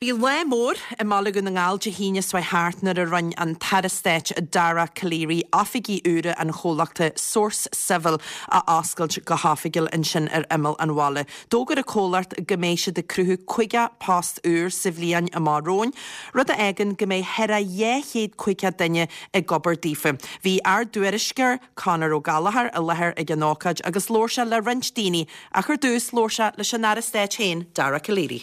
Bhí lá mór i mBaile Dhún na nGall Dé hAoine seo thart nuair a rinne an tAire Stáit Dara Calleary oifigí úra an chomhlachta Source Civil a oscailt go hoifigiúil ansin ar imeall an bhaile. D'fhógair an comhlacht go mbeidh siad ag cruthú 50 post úr sa bhliain amach romhainn, rud a fhágann go mbeidh thar a 250 duine ag obair daofa. Bhí ár dtuairisceoir Conor Ó Gallchóir i láthair ag an ócáid agus labhair sé le roinnt daoine ach ar dtús labhair sé leis an Aire Stáit féin, Dara Calleary.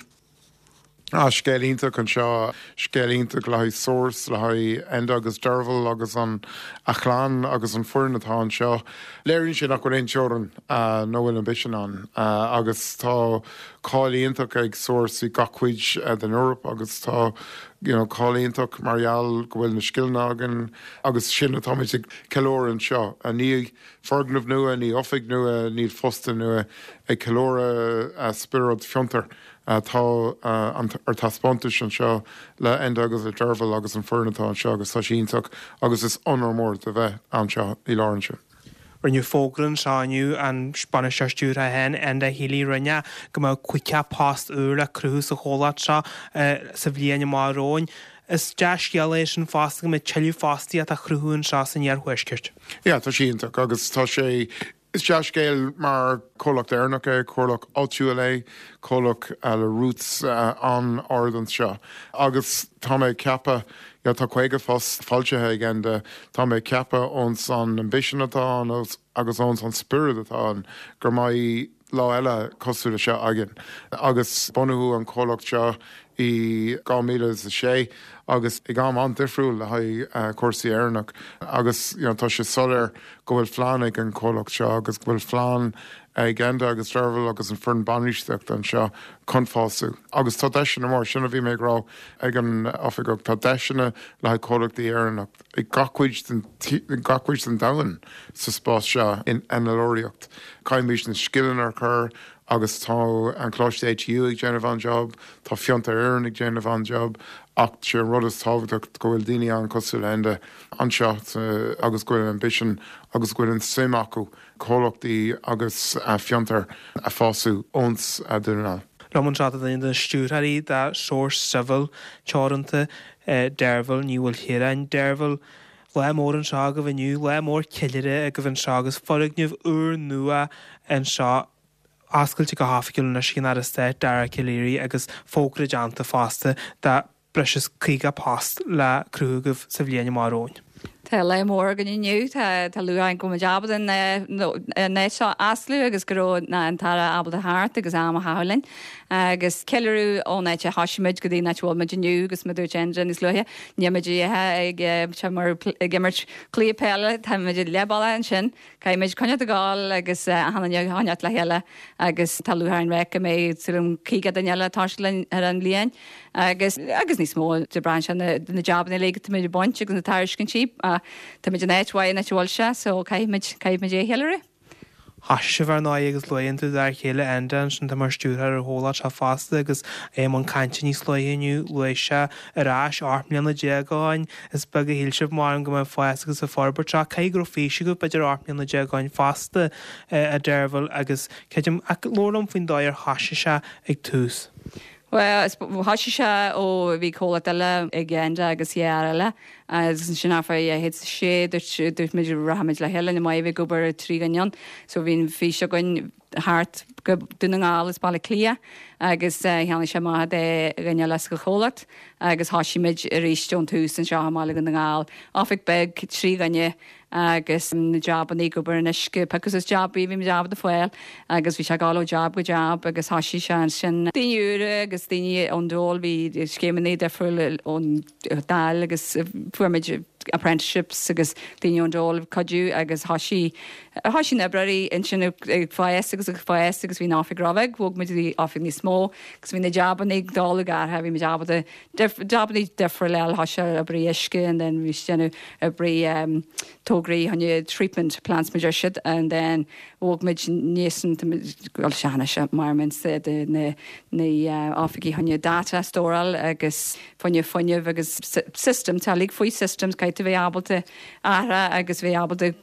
Ah, scéal iontach anseo, scéal iontach le haghaidh Source, le haghaidh Enda agus Derval agus an a chlann agus an foireann atá anseo. Léiríonn sé nach bhfuil aon teorainn nó bhfuil ambition ann agus tá cáil iontach ag Source i gach cuid den Eoraip agus tá you know cáil iontach mar gheall go bhfuil na scileanna againn agus sin atáimid ag ceiliúradh anseo. Ní foirgneamh nua, ní oifig nua, níl fostaithe nua, ag ceiliúradh spiorad fiontair. Tá ar taispeántais anseo le Enda agus le Derval agus an foireann atá anseo agus tá sé iontach agus is onóir mór do bheith anseo i láthair anseo. Rinneadh fógra anseo inniu, an Bainisteoir Stiúrtha féin, Enda Healy, rinne go mbeadh 50 post úr le cruthú sa chomhlacht seo sa bhliain amach romhainn. Is dea-scéal é sin fosta go mbeidh tuilleadh fostaíocht á chruthú anseo san iarthuaisceart. Yeah, tá sé iontach agus tá sé Is dea-scéal mar comhlacht Éireannach é, comhlacht áitiúil é, comhlacht le roots an-ard anseo. Agus tá mé ag ceapadh, you know, tá 50 post foilsithe ag Enda, tá mé ag ceapadh ós an ambition atá ann agus ós an spiorad atá ann go mbeidh lá eile cosúil le seo againn. Agus bunaíodh an comhlacht seo i 2006 agus ag am an-difriúil le haghaidh cúrsaí Éireannach agus you know tá sé soiléir go bhfuil phlean ag an chomhlacht seo agus go bhfuil phlean ag Enda agus Derval agus an foireann bainistíochta anseo chun fású. Agus tá deiseanna mór, sin a bhí mé ag rá ag an oifigeach, tá deiseanna le haghaidh comhlachtaí Éireannach i gach cuid den gach cuid den domhan sa spás seo in innealtóireacht. Caithfimid na scileanna a chur Agus tá an Coláiste ATU ag déanamh an-job, tá Fiontar Éireann ag déanamh an-job, ach sé an rud is tábhachtach go bhfuil daoine ann cosúil le Enda anseo agus go bhfuil an ambition agus go bhfuil an suim acu comhlachtaí agus fiontair a fású ós Dún na nGall. Liom anseo tá duine de na stiúrthóirí de Source Civil Teoranta, Deirbhile Ní Mhaoilchiaráin. Deirbhile, Lá mór anseo agaibh inniu, lá mór ceiliúrtha agaibh anseo agus foirgneamh úr nua anseo oscailte go hoifigiúil anois ag an Aire Stáit Dara Calleary agus fógra déanta fosta de breis is 50 post le cruthú agaibh sa bhliain amach romhainn. Tá lá mór againn inniu. Tá lúcháir orainn go bhfuil muid ábalta an áit seo a osclú agus go raibh an tAire ábalta theacht agus am a chaitheamh linn. Agus ceiliúradh ón áit a thosaigh muid go dtí an áit a bhfuil muid inniu agus mar a dúirt Enda níos luaithe, níl muid ag ag imirt cluiche peile, tá muid leath bealaigh ansin. Caithfidh muid coinneáil ag gabháil agus achan duine a choinneáil le chéile agus tá lúcháir orainn go mbeidh súil agam 50 duine eile ag toiseacht linn ar an bhliain agus agus níos mó de braitheann sé na na jabanna uilig atá muid ag baint agus na tairiscintí tá muid in áit mhaith an áit a bhfuil sé so caithfidh muid caithfidh muid é a cheiliúradh. Thosaigh sibh ar ndóigh agus luaigh tú d'fhear céile Enda ansin atá mar stiúrthóir ar an chomhlacht seo fosta agus é i mbun cainte níos luaithe inniu luaigh sé ar ais 18 mbliana ó shin Is beag a shíl sibh, measaim, go mbeadh fás agus an forbairt seo. Caithfidh go raibh fís agaibh, b'fhéidir, 18 mbliana ó shin fosta, a Deirbhile, agus creidim, ach labhair liom faoin dóigh ar thoisigh sé ag tús. Bhuel, thoisigh sé ó bhí comhlacht eile ag Enda agus dhá fhear eile agus ansin after 2006 dúirt, dúirt muid rachaimid le chéile, ní maith a bheith ag obair trí dhuine ann. So bhí an fís againn thart go Dún na nGall is Baile Átha Cliath agus cheannaigh sé amach do dhuine eile sa chomhlacht agus thoisigh muid arís ón tús anseo i mBaile Dhún na nGall. Oifig beag, 3 dhuine agus na jabanna ag obair in uisce, piocadh suas jabaí bhí muid ábalta fáil agus bhí sé ag gabháil ó jab go jab agus thoisigh sé ansin. Daoine úra agus daoine ón dole, bhí scéimeanna difriúla ón Dáil agus fuair muid apprenticeships agus daoine ón dole ag cuidiú agus thoisigh thoisigh na oibreoirí ansin ag fás agus ag fás agus bhí an oifig róbheag, bhog muid go dtí oifig níos mó agus bhí na jabanna ag dul ag athrú, bhí muid ábalta jabanna difriúla a fháil, thoisigh oibrí uisce and then bhí siad déanamh oibrí tograí choinne treatment plants mar a deir siad and then bhog muid níos bhuel sea mar de na na oifigí choinne data a stóráil agus fá choinne fuinneamh agus systems, tá uilig faoi systems, caithfidh. caithfidh tú bheith ábalta athrá agus bheith ábalta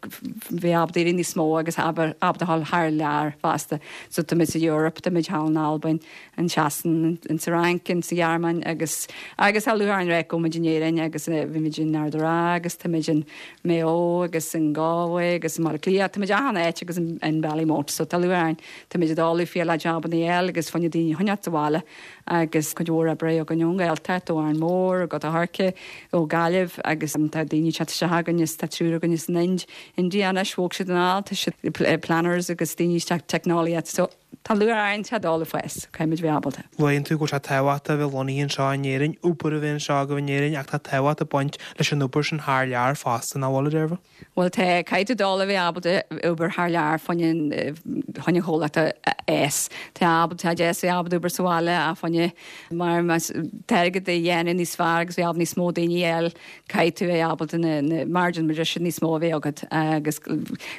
bheith ábalta éirí níos mó agus ábalta a dhul thar lear fosta. So tá muid sa Europe, tá muid thall in Albain, in Sasain, in sa Fhrainc, in sa Ghearmáin agus agus tá lúcháir orainn a rá go bhfuil muid in Éirinn agus bhí muid in Ard an Rátha agus tá muid in Maigh Eo agus in Galway agus in Baile Átha Cliath, tá muid achan áit agus in Ballymote so tá lúcháir orainn, tá muid ag dul fial le jabanna a fháil agus fá choinne daoine a choinneáilt sa bhaile agus cuid mhór oibre againn ón nGaeltacht, ó Árainn Mhór, ó Gort an Choirce, ó Gaillimh agus tá daoine ag teacht isteach againn is tá triúr againn as an Ind, India anois, bhog siad anall, tá siad planners agus daoine isteach teicneolaíocht so tá lúcháir orainn tá dul ag fás, caithfidh muid bheith ábalta. Luann tú go bhfuil sé tábhachtach a bheith lonnaithe anseo in Éirinn, obair a bheith anseo agaibh in Éirinn ach tá tábhacht ag baint leis an obair sin thar lear fosta, nach bhfuil, a Deirbhile? Bhuel tá, caithfidh tú dul a bheith ábalta obair thar lear fá choinne an chomhlacht a fhás. Tá ábalta, tá deas a bheith ábalta obair sa bhaile ach fá choinne mar más airgead a dhéanamh níos fearr agus bheith ábalta níos mó daoine a fháil caithfidh tú a bheith ábalta na na margin mar sin níos mó a bheith agat agus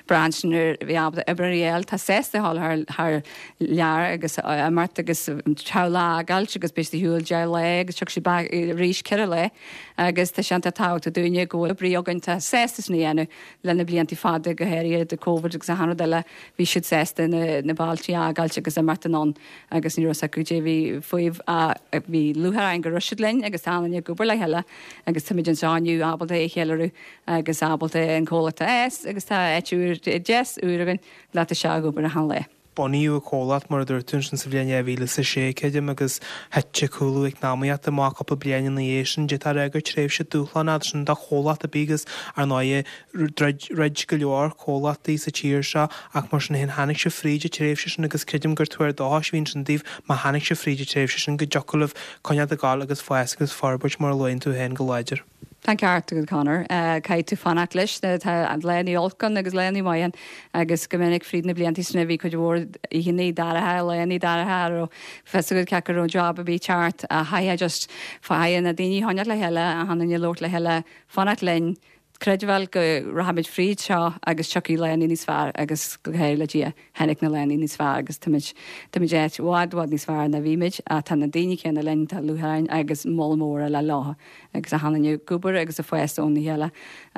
braitheann sin ar bheith ábalta oibreoirí a fháil. Tá sásta a dhul thar thar lear agus imeacht agus teaghlach a fhágáilt agus beidh siad ar shiúl 10 lá agus tiocfaidh siad back arís 4 lá agus tá sé iontach tábhachtach dúinne go bhfuil oibrí againn tá sásta sin a dhéanamh le na blianta fada go háirithe de Covid agus achan rud eile bhí siad sásta na na bailtí a fhágáilt agus imeacht anonn agus ní raibh a fhios acu caidé a bhí fúthu ach bhí lúcháir orainn go raibh siad linn agus tá an-ag obair le chéile agus táimid anseo inniu ábalta é a cheiliúradh agus ábalta an comhlacht a fhás agus tá áit úr deas úr againn le toiseacht ag obair achan lá. Bunaíodh an comhlacht, mar a dúirt tú, ansin sa bhliain 2006, creidim, agus thit an cúlú eacnamaíochta amach cúpla bliain ina dhiaidh sin. D'fhéadfá a rá gur tréimhse dúshlánach sin do chomhlacht ar bith agus, ar ndóigh, dhruid go leor comhlachtaí sa tír seo ach mar sin féin tháinig sibh fríd an tréimhse sin agus creidim gur tuar dóchais a bhí ansin daoibh má tháinig sibh fríd an tréimhse sin go dtiocfadh libh coinneáil ag gabháil agus fás agus forbairt mar a luann tú féin go láidir. Tá an ceart agat Conor. Caithfidh tú fanacht leis. Tá laethanna olc ann agus laethanna maith ann agus go minic fríd na blianta sin bhí cuid mhór oícheanna dorcha, laethanna dorcha a raibh fios agat cé go raibh job ar bith ceart ach chaithfeá just chaithfeá na daoine a choinneáil le chéile, achan duine labhairt le chéile, fanacht linn, Creidbheáil go rachaimid fríd seo agus tiocfaidh laethanna níos fearr agus go háirithe le Dia, tháinig na laethanna níos fearr agus táimid, táimid áit i bhfad, bhfad níos fearr ná bhí muid ach tá na daoine céanna linn, tá lúcháir orainn agus moladh mór eile leo agus achan duine ag obair agus ag fás óna chéile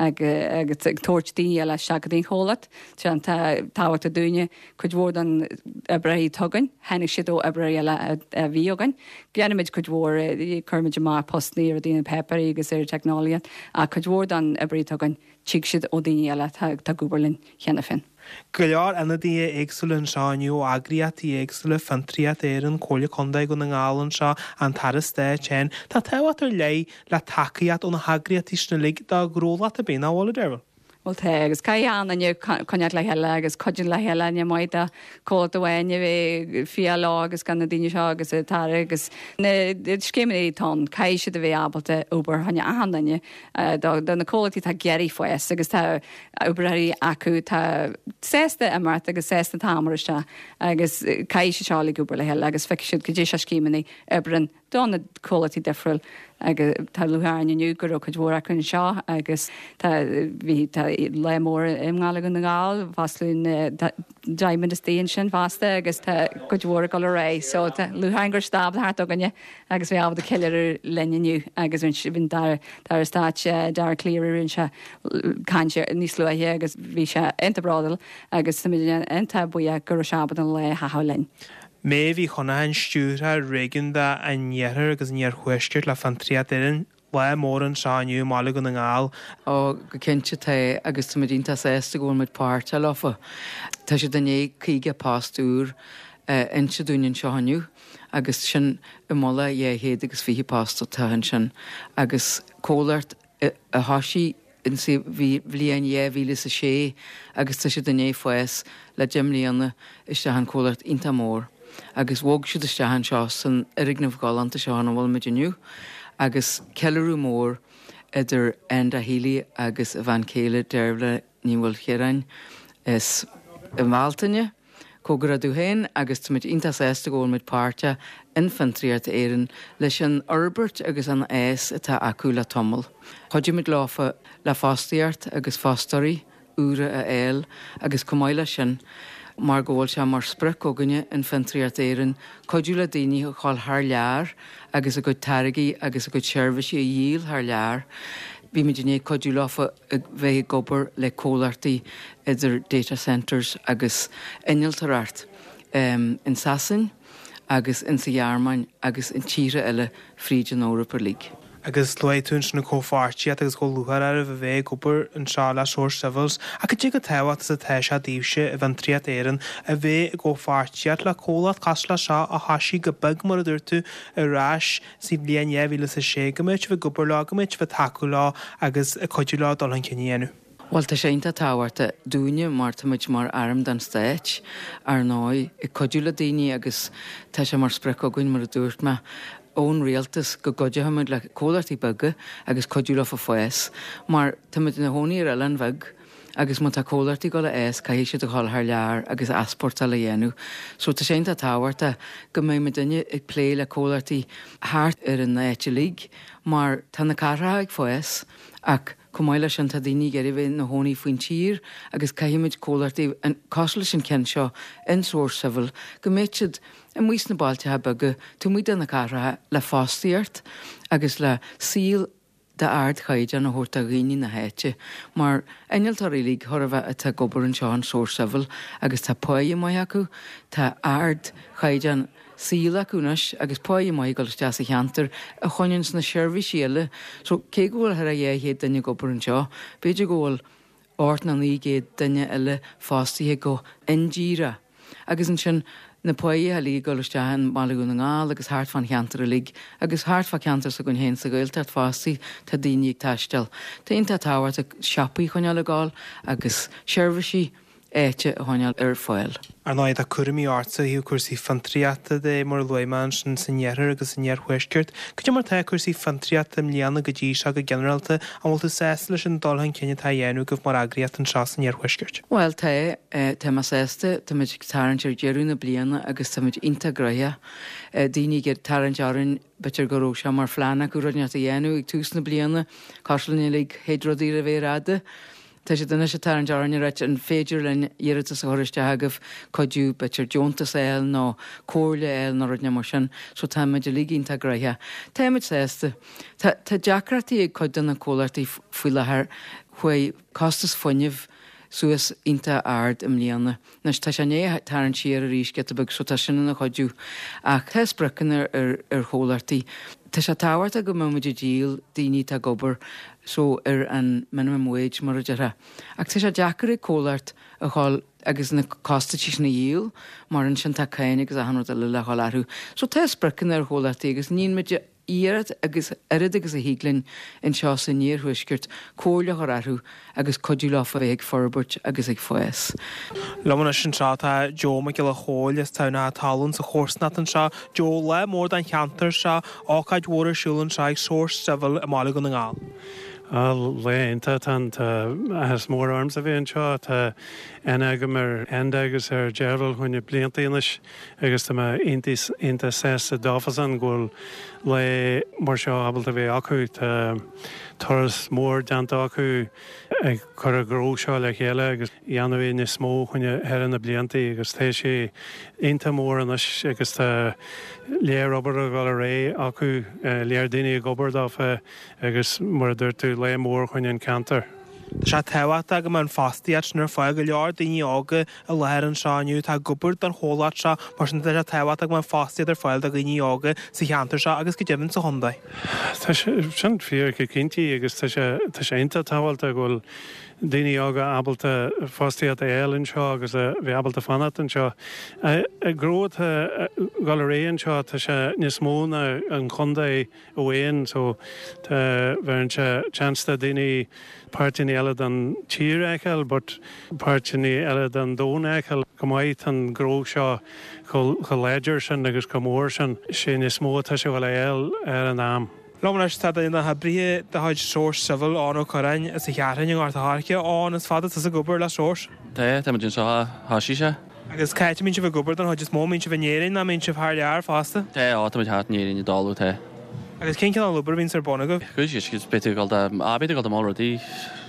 agus ag tabhairt daoine eile isteach go dtí an chomhlacht. Tá tábhachtach dúinne Cuid mhór den oibreoirí atá againn, tháinig siad ó oibreoirí eile a bhí againn. Déanaimid cuid mhór, cuirimid amach postanna ar rudaí na páipéirí agus ar teicneolaíocht, ach cuid mhór den oibrí atá againn, tig siad ó daoine eile atá ag obair linn cheana féin. Go leor ionadaithe éagsúla anseo inniu ó eagraíochtaí éagsúla, Fiontraíocht Éireann, Comhairle Contae Dhún na nGall anseo, an tAire Stáit féin. Tá tábhacht ar leith le tacaíocht ó na heagraíochtaí sin uilig do ghnólacht ar bith, nach bhfuil, a Deirbhile? Bhuel tá, agus caithfidh achan duine coinneáilt le chéile agus cuidiú le chéile, ní maith do comhlacht amháin a bheith ag fiach leo agus gan na daoine seo agus an tAire agus na scéimeanna atá ann, caithfidh siad a bheith ábalta obair fá choinne achan duine do na comhlachtaí atá ag iarraidh fás agus tá oibreoirí acu atá sásta imeacht agus sásta an t-am a chur isteach agus caithfidh siad seo uilig obair le chéile agus feicfidh siad goidé seo scéimeanna oibreann do na comhlachtaí difriúil agus tá lúcháir orainn inniu go raibh cuid mhór acu anseo agus tá bhí tá lá mór i mBaile Dhún na nGall, foscladh na Diamond istigh ansin fosta agus tá cuid mhór ag dul ar aghaidh so tá lúcháir orainn go raibh siad ábalta theacht chugainne agus bheith ábalta ceiliúradh linn inniu agus bhí an tAire Stáit Dara Calleary rinne sé caint níos luaithe agus bhí sé iontach bródúil agus táimid iontach buíoch go raibh sé ábalta an lá a chaitheamh linn. Méabh Uí Chonacháin, Stiúrthóir Réigiúnda an Iarthair agus an Iarthuaiscirt le Fiontraíocht Éireann. Lá mór anseo inniu i mBaile Dhún na nGall. Ó, go cinnte tá agus táimid iontach sásta go bhfuil muid páirteach leofa. Tá siad i ndiaidh 50 post úr a inse dúinn anseo inniu agus sin i mullach 220 post atá ansin agus comhlacht a thoisigh insa bhliain 2006 agus tá siad i ndiaidh fás le 10 mbliana isteach in comhlacht iontach mór agus bhog siad isteach anseo san fhoirgneamh galánta seo ina bhfuil muid inniu agus ceiliúradh mór idir Enda Healy agus a bhean chéile Deirbhile Ní Mhaoilchiaráin is i mBealtaine. Comhghairdeas dóibh féin agus táimid iontach sásta go bhfuil muid páirteach in Fiontraíocht Éireann leis an fhorbairt agus an fhás atá acu le tamall. Chuidigh muid leofa le fostaíocht agus fostóirí úra a fháil agus chomh maith leis sin, mar go bhfuil sé mar sprioc againne in Fiontraíocht Éireann cuidiú le daoine a ghabháil thar lear agus a gcuid táirgí agus a gcuid seirbhísí a dhíol thar lear. Bhí muid i ndiaidh cuidiú leofa a bheith ag obair le comhlachtaí idir data centres agus innealtóireacht in Sasain agus in sa Ghearmáin agus in tíortha eile fríd an Eoraip uilig. Agus luaigh tú ansin an comhpháirtíocht agus chomh lúcháir oraibh a bheith ag obair anseo le Source Civils. Ach cad é chomh tábhachtach is atá sé daoibhse i bhFiontraíocht Éireann a bheith i gcomhpháirtíocht le comhlacht cosúil le seo a thoisigh go beag, mar a dúirt tú, ar ais sa bhliain 2006, go mbeidh sibh ag obair leo, go mbeidh sibh ag tacú leo agus ag cuidiú leo dul chun cinn a dhéanamh. Bhuel, tá sé iontach tábhachtach dúinne mar tá muid mar arm den Stáit, ar ndóigh, ag cuidiú le daoine agus tá sé mar sprioc againn, mar a dúirt mé, ón rialtas go gcuideochaimid le comhlachtaí beaga agus cuidiú leofa fás mar tá muid ina chónaí ar oileán bheag agus má tá comhlachtaí ag dul a fhás caithfidh siad a dhul thar lear agus easpórtáil a dhéanamh. So tá sé iontach tábhachtach go mbeidh muidinne ag plé le comhlachtaí thart ar an áit uilig mar tá na cathracha ag fás ach chomh maith leis sin tá daoine ag iarraidh bheith ina chónaí faoin tír agus caithfimid comhlachtaí cosúil leis an ceann seo in Source Civil go mbeidh siad amuigh sna bailteacha beaga taobh amuigh de na cathracha le fostaíocht agus le saol d'ardchaighdeán a thabhairt do dhaoine na háite, mar innealtóirí uilig chóir a bheith atá ag obair anseo in Source Civil agus tá páighe maith acu, tá ardchaighdeán saoil acu anois agus páighe maith ag dul isteach sa cheantar a choinníonns na seirbhísí eile. So cé go bhfuil thar a 200 duine ag obair anseo, b'fhéidir go bhfuil 8 nó 900 duine eile fostaithe go hindíreach. Agus ansin na páighe uilig ag dul isteach i mBaile Dhún na nGall agus thart fán cheantar uilig agus thart fá ceantar s'againn féin sa Ghaeltacht fosta tá daoine ag taisteal. Tá iontach tábhachtach siopaí a choinneáil ag gabháil agus seirbhísí áite a choinneáil ar fáil. Ar ndóigh, tá cúraimí ortsa ó thaobh cúrsaí fiontraíochta de, mar a luaigh mé ansin, san iarthar agus san iarthuaisceart. Cad é mar atá cúrsaí fiontraíochta i mbliana go dtí seo go ginearálta? An bhfuil tú sásta leis an dul chun cinn atá á dhéanamh agaibh mar eagraíocht anseo san iarthuaisceart? Bhuel, tá. Tá mé sásta. Tá muid ag tarraingt ar deireadh na bliana agus tá muid iontach gnoitheach. Daoine ag tarraingt orainn, b'fhéidir go raibh sé mar phlean acu rud inteacht a dhéanamh ag tús na bliana, cosúil linn uilig, théid rudaí ar a mhéar fhada. Tá siad anois ag tarraingt orainn ag ráit an féidir linn iarratas a chur isteach agaibh, cuidiú, b'fhéidir deontas a fháil nó comhairle a fháil nó rud inteacht mar sin. So tá muid uilig iontach gnoitheach. Tá muid sásta. Tá tá deacrachtaí ag cuid de na comhlachtaí faoi láthair. Chuaigh costas fuinnimh suas iontach ard i mbliana. Anois tá sé i ndiaidh tarraingt siar arís giota beag so tá sin ina chuidiú. Ach tá spriocanna ar ar chomhlachtaí. Tá sé tábhachtach go mbeidh muid ag díol daoine atá ag obair so ar an minimum wage mar a déarfá. Ach tá sé deacair ag comhlacht a dhul agus na costaisí sin a dhíol mar ansin tá cáin agus achan rud eile le dhul orthu. So tá spriocanna ar chomhlachtaí agus níonn muid iarracht agus oiread agus a thig linn anseo san iarthuaisceart comhairle a chur orthu agus cuidiú leo a bheith ag forbairt agus ag fás. Liom anois anseo tá Joe Mac Giolla Chóill as Tamhnach Talún sa chomharsanacht anseo. Joe, lá mór don cheantar seo, ócáid mhór ar siúl anseo ag Source Civil i mBaile Dhún na nGall. Á, lá iontach atá ann. Tá áthas mór ormsa a bheith anseo. Tá aithne agam ar Enda agus ar Deirbhile fá choinne blianta anois. Agus tá mé iontach sásta dófasan go bhfuil lá mar seo ábalta a bheith acu. Tá turas mór déanta acu ag cur an ghnó seo le chéile agus dhéanamh é níos mó fá choinne thar na blianta agus tá sé iontach mór anois agus tá léar obair ag dul ar aghaidh acu, léar daoine ag obair dófa agus mar a dúirt tú, lá mór fá choinne an ceantar. Tá sé tábhachtach go mbeadh an fostaíocht sin ar fáil. Go leor daoine óga i láthair anseo inniu atá ag obair don chomhlacht seo, mar sin tá sé tábhachtach go mbeadh fostaíocht ar fáil do dhaoine óga sa cheantar seo agus go deimhin sa chontae. Tá sé sin fíor go cinnte agus tá sé tá sé iontach tábhachtach go bhfuil daoine óga ábalta fostaíocht a fháil anseo agus a bheith ábalta fanacht anseo. An gnó atá ag dul ar aghaidh anseo tá sé níos mó ná an chontae amháin so tá bheireann sé chance do daoine páirteanna eile den tír a fheiceáil but páirteanna eile den domhan a fheiceáil go maith tá an gnó seo chomh láidir sin agus chomh mór sin sé níos mó atá sé a dhul a fháil ar an am. Liom anois tá duine de na hoibrithe de chuid Source Civil, Eoin Ó Curráin, as an Cheathrúin i nGort a' Choirce. Eoin, is fada tusa ag obair le Source? Tá, tá muid anseo ó thoisigh sé. Agus cá háit a mbíonn sibh ag obair don chuid is mó? An mbíonn sibh in Éirinn nó an mbíonn sibh thar lear fosta? Tá, á, tá muid thart in Éirinn i dtólamh, tá. Agus cén cineál obair a bhíonns ar bun agaibh? Cuid is beidh tú ag dul do, á, beidh tú ag dul do mall rudaí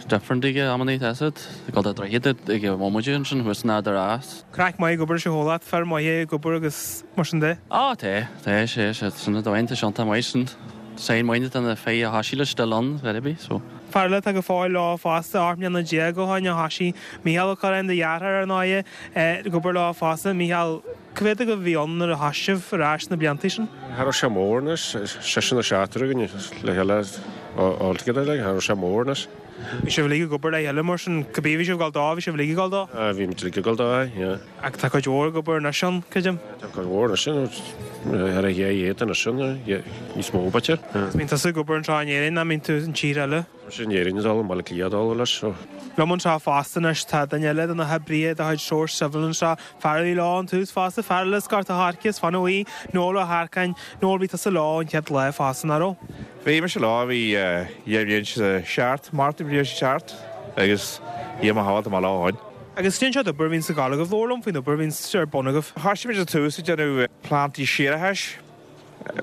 different ag amannaí, tá fhios agat. Ag dul do droichead ag an bhomaite ansin thuas in Ard a' Rátha. Craic maith ag obair leis an chomhlacht, fir maithe ag obair agus mar sin de. Á, tá, tá, sé, sé, sin an dóigh, tá sé iontach maith sin. Sign maith de na fir a thoisigh leis still ann, ar bith, so. Fear eile atá go fóill leo fosta, 18 mbliana ó shoin a thoisigh Mícheál Ó Curráin, do dheartháir ar ndóighe, ag obair leo fosta. Mícheál, cá mhéad agaibh a bhí ann nuair a thoisigh sibh ar ais sna blianta sin? Cha raibh sé mór anois, seisear nó seachtar againn le chéile all together like, cha raibh sé mór anois. Bhí sibh uilig ag obair le chéile mar sin, cibé bhí sibh ag dul dó, bhí sibh uilig ag dul dó? Bhí muid uilig ag dul dó, aye, yeah. Ach tá cuid mhór ag obair anois ann, creidim. Tá cuid mhór anois ann, thar a 200 anois ann, níos mó b'fhéidir. Is mbíonn tusa ag obair anseo in Éirinn ná mbíonn tú in tír eile? Tá mise in Éirinn ag dul, i mBaile Átha Cliath ag dul leis, so. Liom anseo fosta anois tá duine eile de na hoibrithe de chuid Source Civil anseo, fear a bhí leo ón tús fosta, fear eile as Gort a' Choirce, as Fionn Bhuí, Noel Ó hEarcáin. Noel, bhí tusa leo ón chéad lá fosta, nach raibh? Bhí mise leo, bhí 2007, Márta 2007 agus dhia mo shábháil tá mé leo ó shin. Agus cén sórt obair a bhíonns ag gabháil agaibh? Labhair liom faoin obair a bhíonns ar bun agaibh. Thoisigh muid ar tús ag déanamh plantaí séarachais,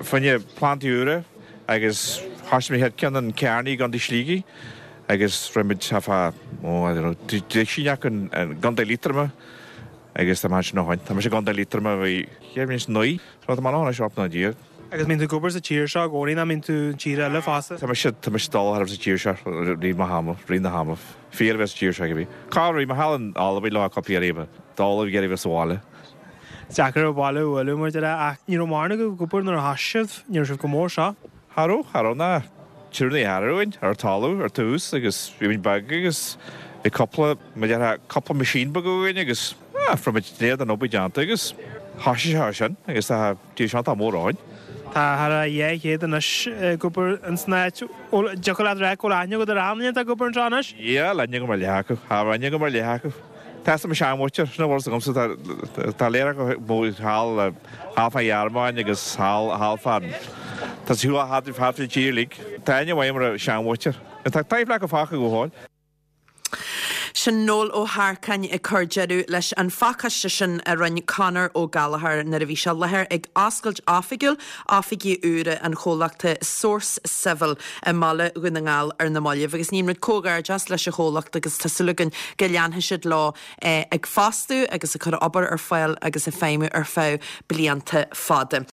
fá choinne plantaí úra agus thoisigh muid chéad ceann in Carney i gContae Shligigh agus rinne muid tá fá, oh I don't know, duisín acu i gContae Liatroma agus tá mé ansin ó shoin. Tá mise i gContae Liatroma bhí 2009, so tá mé ann anois 18 mbliana. Agus mbíonn tú ag obair sa tír seo i gcónaí nó mbíonn tú in tír eile fosta? Tá mise, tá mise dul thar sa tír seo rith mo hama, rith na hama. Fíor a bheith sa tír seo ag bhí. Cá raibh mé thall in Albain lá cupla iarraidh, dul ag iarraidh bheith sa bhaile. Is deacair an baile a bhualadh mar a déarfá ach ní raibh mórán agaibh ag obair nuair a thoisigh sibh, ní raibh sibh go mór seo. Cha raibh, cha raibh ná triúr nó ceathrar againn ar talamh ar tús agus bhí muid beag agus bhí cupla, mar a déarfá, cupla machine beag againn agus ah, fuair muid tréad den obair déanta agus thoisigh sé sin agus tá Tír seo atá mór ann. Tá thar a 200 anois ag obair ins an áit. Dtiocfadh leat rá go bhfuil aithne agat ar achan duine atá ag obair anseo anois? Yeah, aithne agam ar leath acu. Tá aithne agam ar leath acu. Tá 'fhios ag mo sheanmhuintir, sin a bhfuil 'fhios agamsa, tá tá léir acu mo thall thall fán Ghearmáin agus thall thall fán tá siad thuas thart thart fán tír uilig. Tá aithne mhaith agam ar a seanmhuintir. Tá taifle acu fágtha go fóill. Sin Noel Ó hEarcáin ag cur deireadh leis an phacáiste sin a rinne Conor Ó Gallchóir nuair a bhí sé i láthair ag oscailt oifigiúil oifigí úra an chomhlachta Source Civil i mbaile Dhún na nGall ar na mallaibh. Agus ní muid comhghairdeas leis an chomhlacht agus tá súil againn go leanfaidh siad leo ag fostú agus ag cur obair ar fáil agus ag feidhmiú ar feadh blianta fada.